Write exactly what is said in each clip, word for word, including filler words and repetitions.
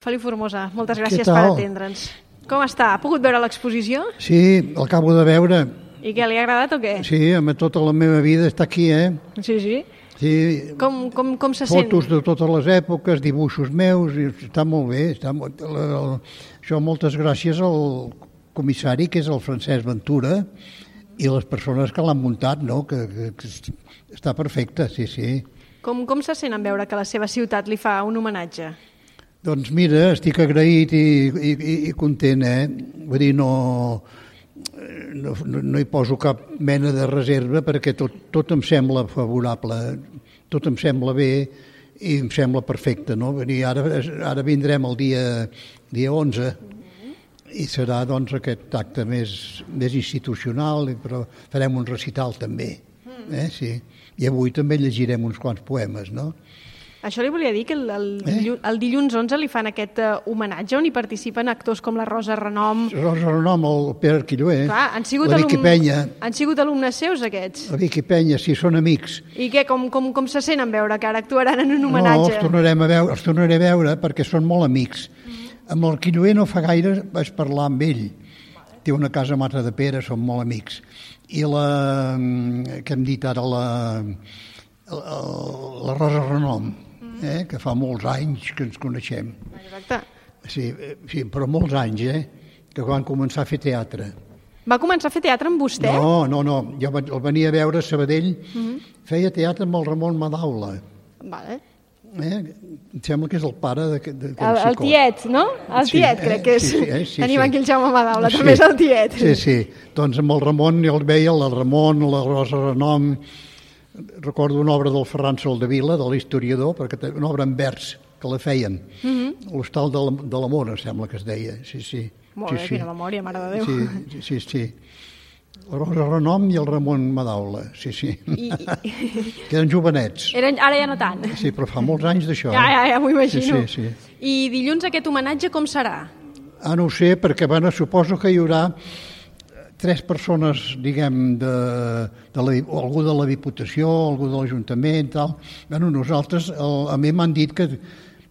Feliu Formosa, moltes gràcies per atendre'ns. Com està? Ha pogut veure l'exposició? Sí, l'acabo de veure. I què, li ha agradat o què? Sí, amb tota la meva vida està aquí, eh? Sí, sí. Sí. Com, com, com se sent? Fotos de totes les èpoques, dibuixos meus, i està molt bé. Està molt... Això moltes gràcies al comissari, que és el Francesc Ventura, i les persones que l'han muntat, no? Que, que, que està perfecte, sí, sí. Com, com se sent en veure que la seva ciutat li fa un homenatge? Doncs mira, estic agraït i, i, i content, eh? Vull dir, no, no, no hi poso cap mena de reserva perquè tot, tot em sembla favorable, tot em sembla bé i em sembla perfecte, no? Vull dir, ara, ara vindrem el dia, dia onze i serà doncs aquest acte més, més institucional, però farem un recital també, eh? Sí. I avui també llegirem uns quants poemes, no? Això li volia dir que el, el, eh? el dilluns onze li fan aquest uh, homenatge on hi participen actors com la Rosa Renom. Rosa Renom, el Pere Quilloé, Clar, han sigut la Vicky alum... Penya. Han sigut alumnes seus, aquests. La Vicky Penya, sí, són amics. I què, com, com, com se sent en veure que ara actuaran en un homenatge? No, els tornarem a veure, els tornaré a veure perquè són molt amics. Mm-hmm. Amb el Quilloé no fa gaire vaig parlar amb ell. Vale. Té una casa a Mata de Pere, són molt amics. I la, que hem dit ara, la, la, la Rosa Renom, eh, que fa molts anys que ens coneixem. Exacte. Sí, sí, però molts anys, eh, que van començar a fer teatre. Va començar a fer teatre amb vostè? No, no, no, jo el venia a veure a Sabadell, uh-huh. Feia teatre amb el Ramon Madaula. Vale. Eh? Em sembla que és el pare de, de, de el, el tiet, no? El sí, tiet, eh? crec que és. Sí, sí, eh? sí, Tenim sí. aquí el Jaume Madaula, sí. també és el tiet. Sí, sí, doncs amb el Ramon jo el veia, el Ramon, la Rosa Renom. Recordo una obra del Ferran Soldevila, de l'historiador, perquè una obra en vers que la feien. Uh-huh. L'Hostal de l'Amor, em sembla que es deia. Sí, sí. Molt sí, bé, sí. quina memòria, mare de Déu. Sí, sí, sí. La Rosa Renom i el Ramon Madaula, sí, sí. I, i... Que eren jovenets. Eren, ara ja no tant. Sí, però fa molts anys d'això. Ja, ja, ja m'ho imagino. Sí, sí, sí. I dilluns aquest homenatge com serà? Ah, no ho sé, perquè bueno, suposo que hi haurà tres persones, diguem, de, de la, algú de la Diputació, algú de l'Ajuntament, tal. Bueno, nosaltres, el, a mi m'han dit que,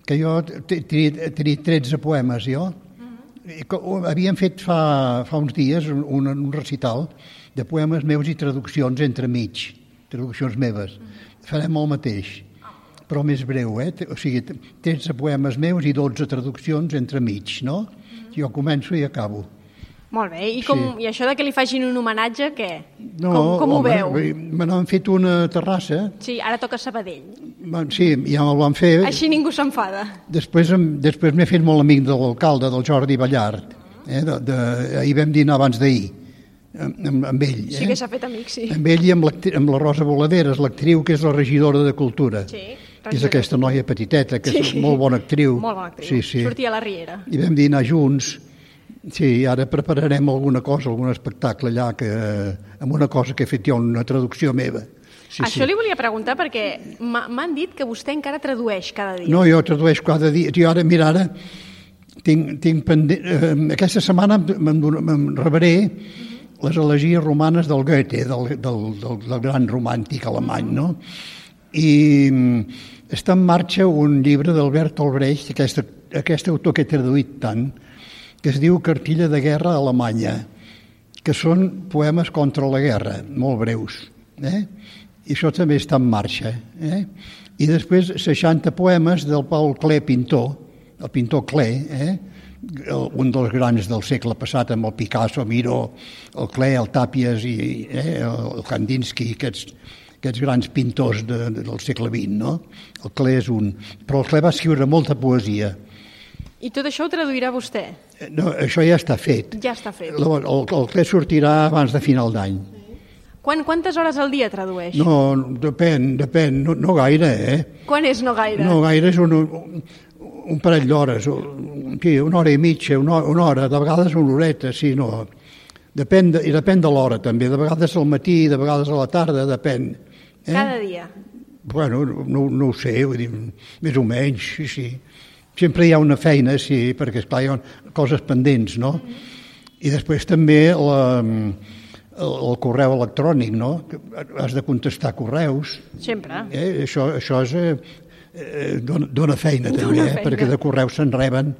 que jo tenia tretze poemes, jo. Uh-huh. Havíem fet fa, fa uns dies un, un recital de poemes meus i traduccions entremig, traduccions meves. Uh-huh. Farem el mateix, però més breu, eh? O sigui, tretze poemes meus i dotze traduccions entremig, no? Uh-huh. Jo començo i acabo. Molt bé, i, com, sí. I això de que li facin un homenatge, què? No, com com home, ho veu? Me n'han fet una terrassa. Sí, ara toca Sabadell. Sí, ja me'l van fer. Així ningú s'enfada. Després, després m'he fet molt amic de l'alcalde, del Jordi Ballart. Eh? De, de, ahir vam dinar abans d'ahir, amb, amb ell. Sí eh? que s'ha fet amic, sí. Amb ell i amb, amb la Rosa Voladeres, l'actriu que és la regidora de Cultura. Sí. Que és aquesta noia petiteta, que sí. És molt bona actriu. Molt bona actriu. Sí, sí. Sortia a la Riera. I vam dinar junts. Sí, ara prepararem alguna cosa, algun espectacle allà, que, amb una cosa que he fet jo, una traducció meva. Sí, Això sí. li volia preguntar perquè m'han dit que vostè encara tradueix cada dia. No, jo tradueixo cada dia. Jo ara, mira, ara tinc, tinc pendent... Eh, aquesta setmana me'n rebré uh-huh. les elegies romanes del Goethe, del, del, del, del gran romàntic alemany, no? I està en marxa un llibre d'Albert Albrecht, aquest, aquest autor que he traduït tant, que es diu Cartilla de guerra alemanya, que són poemes contra la guerra, molt breus. Eh? I això també està en marxa. Eh? I després seixanta poemes del Paul Klee pintor, el pintor Klee, eh? un dels grans del segle passat, amb el Picasso, Miró, el Klee, el Tàpies i eh? el Kandinsky, aquests, aquests grans pintors de, de, del segle vint. No? El Klee és un... Però el Klee va escriure molta poesia. I tot això ho traduirà vostè? No, això ja està fet. Ja està fet. El, el, el Clet sortirà abans de final d'any. Quan, quantes hores al dia tradueix? No, depèn, depèn, no, no gaire, eh? Quan és no gaire? No gaire, és un, un, un parell d'hores, sí, una hora i mitja, una, una hora, de vegades una horeta, sí, no. Depèn de, I depèn de l'hora, també, de vegades al matí, de vegades a la tarda, depèn. Eh? Cada dia? Bueno, no, no ho sé, vull dir, més o menys, sí, sí. Sempre hi ha una feina, sí, perquè, esclar, hi ha coses pendents, no? Mm-hmm. I després també la, el, el correu electrònic, no? Has de contestar correus. Sempre. Eh? Això, això és... Eh, eh, dona, dona feina Dona també, eh? feina. Perquè de correus se'n reben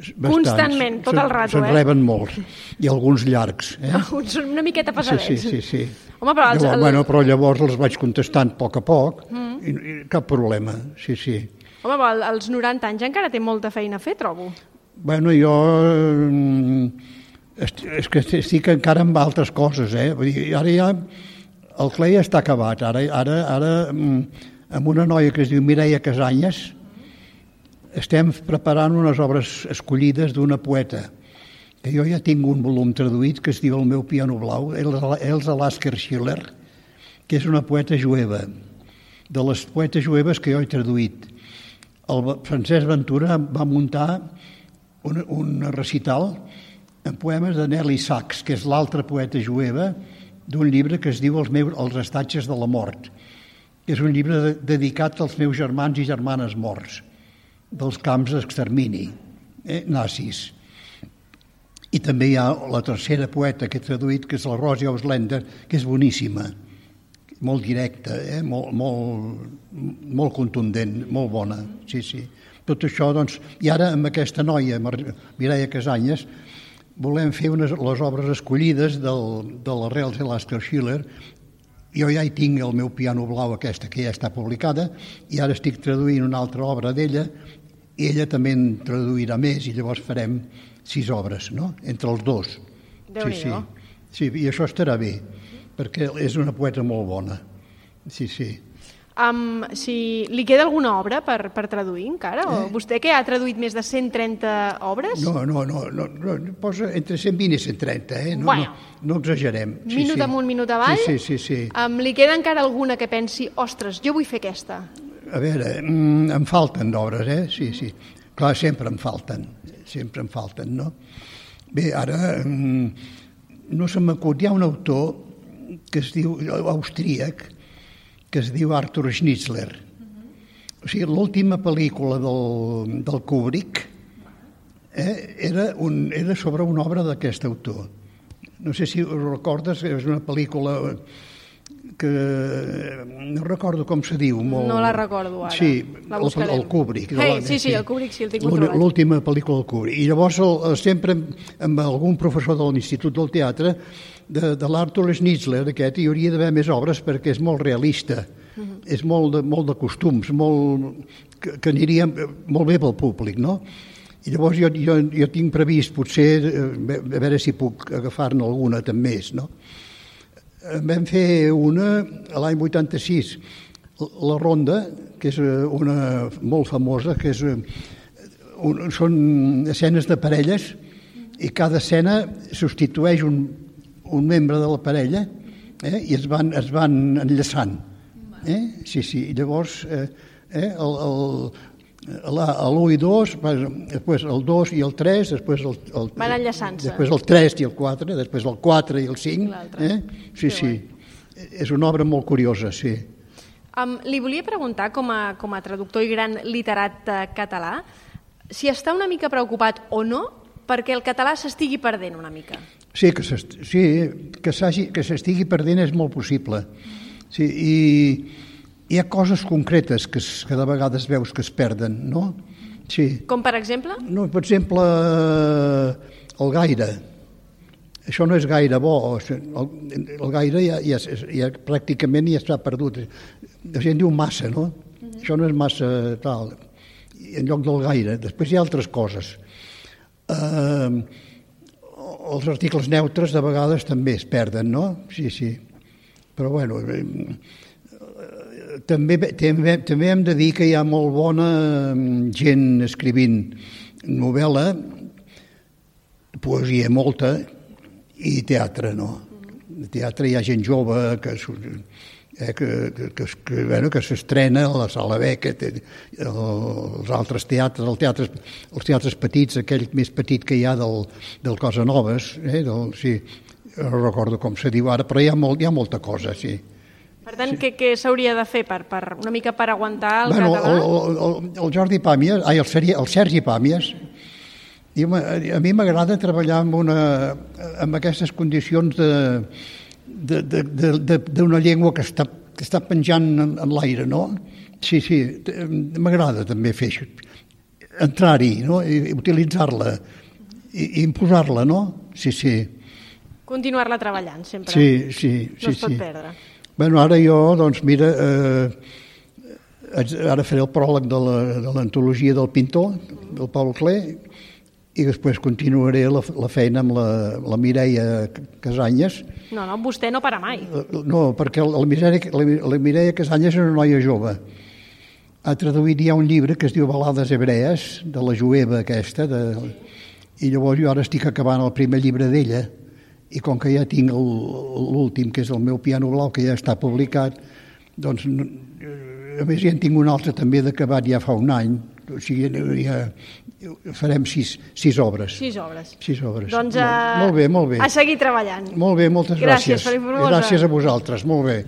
bastants. Constantment, tot el rato, se'n eh? reben molts, i alguns llargs. Eh? Són una miqueta Sí, pesadets. sí, sí, sí. Home, però, els, Llavors, el... bueno, però llavors els vaig contestant a poc a poc, mm. i, i cap problema, sí, sí. Home, però als noranta anys encara té molta feina a fer, trobo. Bueno, jo... Est és que estic encara amb altres coses, eh? Vull dir, ara ja... El Clay està acabat, ara, ara, ara amb una noia que es diu Mireia Casanyes estem preparant unes obres escollides d'una poeta, que jo ja tinc un volum traduït que es diu El meu piano blau, Elsa Lasker Schiller, que és una poeta jueva, de les poetes jueves que jo he traduït. El Francesc Ventura va muntar un, un recital en poemes de Nelly Sachs, que és l'altra poeta jueva, d'un llibre que es diu Els, meus, els estatges de la mort, que és un llibre de, dedicat als meus germans i germanes morts dels camps d'extermini, eh, nazis. I també hi ha la tercera poeta que he traduït, que és la Rosi Auslender, que és boníssima, molt directa, eh, molt, molt, molt contundent, molt bona, sí, sí. Tot això, doncs, i ara amb aquesta noia, Mireia Casanyes, volem fer unes, les obres escollides del, de l'Arrels de Lasker Schiller. Jo ja hi tinc El meu piano blau, aquesta, que ja està publicada, i ara estic traduint una altra obra d'ella, i ella també en traduirà més, i llavors farem sis obres, no?, entre els dos. Sí, sí. Sí, i això estarà bé, perquè és una poeta molt bona. Sí, sí. Um, si li queda alguna obra per, per traduir encara? O Eh? vostè que ha traduït més de cent trenta obres? No, no, no, no, no posa entre cent vint i cent trenta, eh? No, Bueno. no, no exagerem. Sí, Minut sí. amunt, minut avall? Sí, sí, sí, sí. Um, li queda encara alguna que pensi, ostres, jo vull fer aquesta? A veure, mm, em falten d'obres, eh? Sí, sí. Clar, sempre em falten, sempre em falten, no? Bé, ara, mm, no se m'acut, hi ha un autor que es diu, austríac, que es diu Arthur Schnitzler. O sigui, l'última pel·lícula del, del Kubrick eh, era, un, era sobre una obra d'aquest autor. No sé si ho recordes, és una pel·lícula que no recordo com se diu. Molt... No la recordo ara. Sí, la el, el Kubrick. Hey, sí, sí, el Kubrick, sí, el tinc controlat. L'última pel·lícula del Kubrick. I llavors el, sempre amb algun professor de l'Institut del Teatre de, de l'Arthur Schnitzler, aquest, hi hauria d'haver més obres perquè és molt realista, uh -huh. és molt de, molt de costums, molt, que, que aniria molt bé pel públic, no? I llavors jo, jo, jo tinc previst potser, a veure si puc agafar-ne alguna també més, no? Vam fer una l'any vuitanta-sis, la Ronda, que és una molt famosa, que és un, són escenes de parelles i cada escena substitueix un un membre de la parella eh, i es van, es van enllaçant. Eh? Sí, sí, i llavors eh, eh, l'u i dos, després el dos i el tres, després el, el, van enllaçant-se. Després el tres i el quatre, després el quatre i el cinc. Eh? Sí, sí. És una obra molt curiosa, sí. Um, li volia preguntar, com a, com a traductor i gran literat uh, català, si està una mica preocupat o no perquè el català s'estigui perdent una mica. Sí, que sí, que s'estigui perdent és molt possible. Sí, i hi ha coses concretes que, que de vegades veus que es perden, no? Sí. Com per exemple? No, per exemple, el gaire. Això no és gaire bo. El, el gaire ja, ja, ja pràcticament ja està perdut. La gent diu massa, no? Uh-huh. Això no és massa tal. En lloc del gaire. Després hi ha altres coses. Uh, els articles neutres de vegades també es perden, no? Sí, sí. Però, bueno, eh, també, també, també hem de dir que hi ha molt bona gent escrivint novel·la, poesia molta, i teatre, no? De teatre hi ha gent jove que... Eh, que, que, que, que, bueno, que s'estrena a la Sala Beckett, els altres teatres, el teatre, els teatres petits, aquell més petit que hi ha del, del Casanovas, eh, del, sí, no recordo com se diu ara, però hi ha, molt, hi ha molta cosa, sí. Per tant, sí. què, què s'hauria de fer per, per, una mica per aguantar el bueno, català? El, el, el Jordi Pàmies, ai, el, Sergi, el Sergi Pàmies, i a mi m'agrada treballar amb, una, amb aquestes condicions de... d'una llengua que està, que està penjant en, en l'aire, no? Sí, sí, m'agrada també fer això. Entrar-hi, no? I utilitzar-la, i, i imposar-la, no? Sí, sí. Continuar-la treballant, sempre. Sí, sí. No sí, es pot sí. perdre. Bueno, ara jo, doncs, mira, eh, ara faré el pròleg de l'antologia del pintor, del Paul Klee, i després continuaré la, la feina amb la, la Mireia Casanyes. No, no, vostè no para mai. No, perquè la Mireia, la, la Mireia Casanyes és una noia jove. Ha traduït ja un llibre que es diu Balades hebrees, de la jueva aquesta, de, i llavors jo ara estic acabant el primer llibre d'ella, i com que ja tinc l'últim, que és el meu piano blau, que ja està publicat, doncs, a més ja en tinc un altre també d'acabat ja fa un any, o sigui, ja farem sis, sis obres. Sis obres. Sis obres. Doncs molt, a, molt bé, molt bé. A seguir treballant. Molt bé, moltes gràcies. Gràcies, Felip Formosa. Gràcies a vosaltres, molt bé.